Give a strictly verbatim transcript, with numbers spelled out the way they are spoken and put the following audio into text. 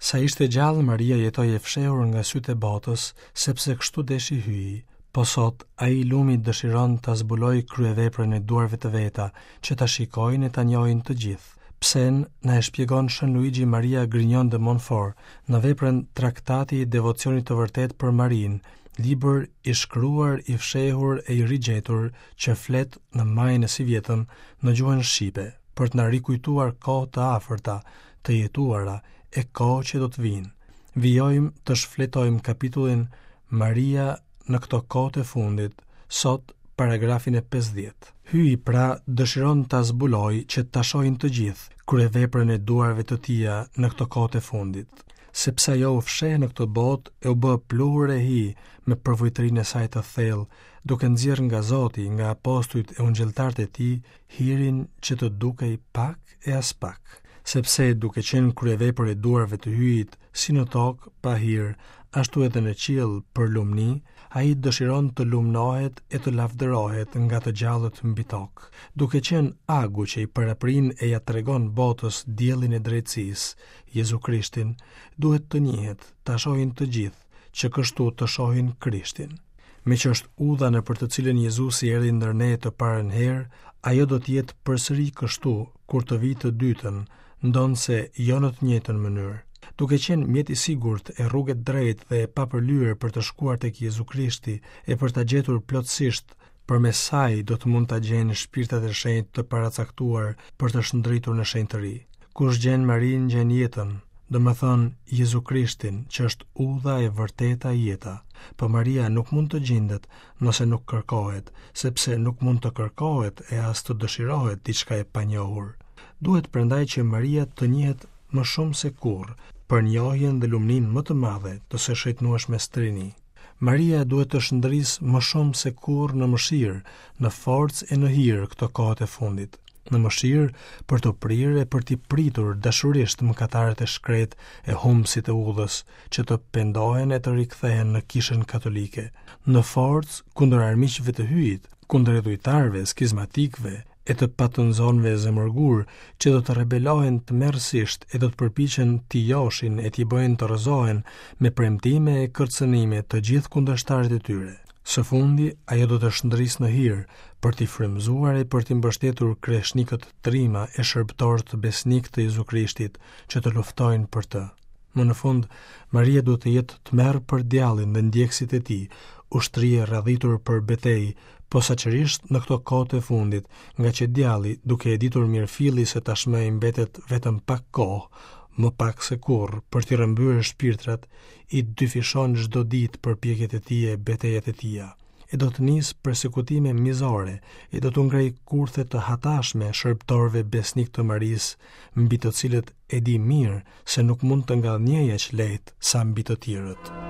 Sa ishte gjallë, Maria jetoi e fshehur nga sytë e botës, sepse kështu deshi Hyji. Po sot, ai i lumi dëshiron ta zbulojë kryeveprën e duarve të veta, që ta shikojnë e ta njohin të gjithë. Psen na e shpjegon Shën Luigi Maria Grignion de Montfort në veprën Traktati i Devocionit të Vërtetë për Marinë, libër i shkruar, i fshehur e i rigjetur që flet në majin e sivjetëm në gjuhën shqipe, për të na rikujtuar kohë të afërta, të jetuara e kohë që do të vinë. Vijojmë të shfletojmë kapitullin Maria në këto kohë të fundit, sot paragrafin e pesëdhjetë. Hyji pra dëshiron ta zbulojë që ta shohin të gjithë kryeveprën e duarve të tija në këto kohë të fundit, sepse ajo u fsheh në këtë botë e u bë pluhur e hi me përvujtërinë e saj të thellë, duke nxjerrë nga Zoti, nga apostujt e ungjilltarët e tij, hirin që të dukej pak e as pak, sepse duke qenë kryevepër e duarve të Hyjit, si në tokë pa hir, ashtu edhe në qiell për lumni, ai dëshiron të lumnohet e të lavdërohet nga të gjallët mbi tokë, duke qenë agu që i paraprin e ja tregon botës diellin e drejtësisë, Jezu Krishtin, duhet të njihet, ta shohin të gjithë, që kështu të shohin Krishtin. Meqë është udha nëpër të cilën Jezusi erdhi ndër ne të parën herë, ajo do të jetë përsëri kështu kur të vijë të dytën, ndonëse jo në të njëjtën mënyrë. Duke qenë mjet i sigurt e rrugë e drejtë dhe e papërlyer për të shkuar tek Jezu Krishti e për ta gjetur plotësisht, përmes saj do të mund ta gjejnë shpirtat e shenjtë të paracaktuar për të shndritur në shenjtëri. Kush gjen Marinë, gjen jetën, domethënë Jezu Krishtin, që është udha e vërteta e jeta. Po Maria nuk mund të gjendet nëse nuk kërkohet, sepse nuk mund të kërkohet e as të dëshirohet diçka e panjohur. Duhet prandaj që Maria të njihet më shumë se kurrë, për njohjen dhe lumninë më të madhe të së shejtnueshmes Trini. Maria duhet të shndrisë më shumë se kurrë në mëshirë, në forcë e në hir këto kohët e fundit. Në mëshirë për të prirë e për t'i pritur dashurisht mëkatarët e shkret e humbësit e udhës, që të pendohen e të rikthehen në kishën katolike. Në forcë kundër armiqve të Hyjit, kundër idhujtarëve, skizmatikëve e të patënzonëve zemërgur, që do të rebelohen tmerrësisht e do të përpiqen t'i joshin e t'i bëjnë të rrëzohen me premtime e kërcënime të gjithë kundërshtarët e tyre. Së fundi, ajo do të shndrisë në hir për t'i frymëzuar e për t'i mbështetur kreshnikët trima e shërbëtorët besnik të Jezu Krishtit që të luftojnë për të. Më në fund, Maria duhet të jetë tmerr për djallin dhe ndjekësit e tij, ushtri e radhitur për betejë, posaçërisht në këto kohë të fundit, nga që djalli, duke e ditur mirëfilli se tashmë i mbetet vetëm pak kohë, më pak se kurrë, për t'i rrëmbyer shpirtrat, i dyfishon çdo ditë përpjekjet e tij e betejat e tija. E do të nisë persekutime mizore, e do t'u ngrejë kurthe të hatashme shërbëtorëve besnik të Marisë, mbi të cilët e di mirë se nuk mund të ngadhnjejë aq lehtë sa mbi të tjerët.